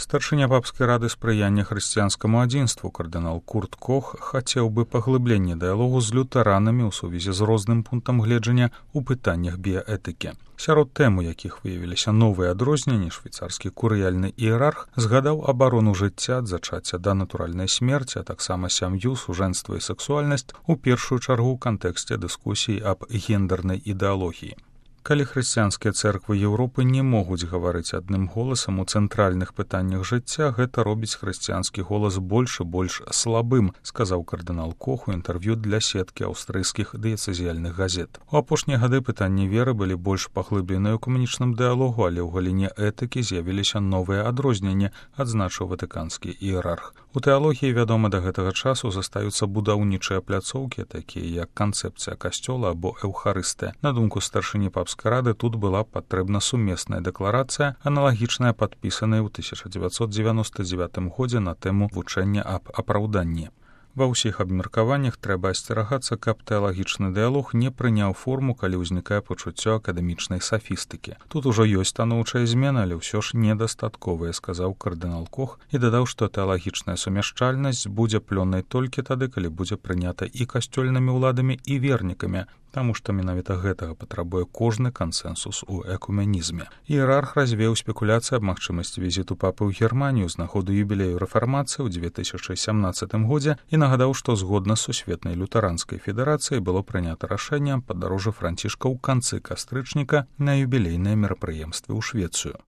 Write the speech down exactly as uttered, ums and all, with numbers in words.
Старшыня папскай рады спрыяння хрысціянскаму адзінству кардынал Курт Кох хацеў бы паглыблення дыялогу з лютэранамі ў сувязі з розным пунктам гледжання ў пытаннях біяэтыкі. Сярод тэм, у якіх выявіліся новыя адрозненні, швейцарскі курыяльны іерарх згадаў абарону жыцця ад зачацця да натуральнай смерці, а таксама сям'ю, сужэнства і сексуальнасць у першую чаргу ў кантэксце дыскусій аб гендернай ідэалогіі. Калі хрысціянскія цэрквы Еўропы не могуць гаварыць адным голасам у цэнтральных пытаннях жыцця, гэта робіць хрысціянскі голас больш і больш слабым, сказаў кардынал Кох у інтэрв'ю для сеткі аўстрыйскіх дыяцэзіяльных газет. У апошнія гады пытанні веры былі больш паглыбленыя ў камунічным дыялогу, але ў галіне этыкі з'явіліся новыя адрозненні, адзначыў ватыканскі іерарх. У тэалогіі, вядома, да гэтага часу застаюцца будаўнічыя пляцоўкі, такія як канцэпцыя касцёла або эўхарыстыя. На думку старшыні папскай рады, тут была патрэбна сумесная дэкларацыя, аналагічная падпісаная ў тысяча дзевяцьсот дзевяноста дзевятым годзе на тэму вучэння аб апраўданні. Ва ўсіх абмеркаваннях трэба асцерагацца, каб тэалагічны дыялог не прыняў форму, калі ўзнікае пачуццё акадэмічнай сафістыкі. Тут ужо ёсць станоўчая змена, але ўсё ж недастатковая, сказаў кардынал Кох і дадаў, што тэалагічная сумяшчальнасць будзе плённай толькі тады, калі будзе прынята і касцёльнымі ўладамі, і вернікамі, таму што менавіта гэтага патрабуе кожны кансэнсус у экуменізме. Іерарх развеў спекуляцыі аб магчымасці візіту папы ў Германію з нагоды юбілею рэфармацыі ў дзве тысячы сямнаццатым годзе і нагадаў, што згодна з сусветнай лютэранскай федэрацыяй было прынята рашэнне аб падарожжы Францішка ў канцы кастрычніка на юбілейныя мерапрыемствы ў Швецыю.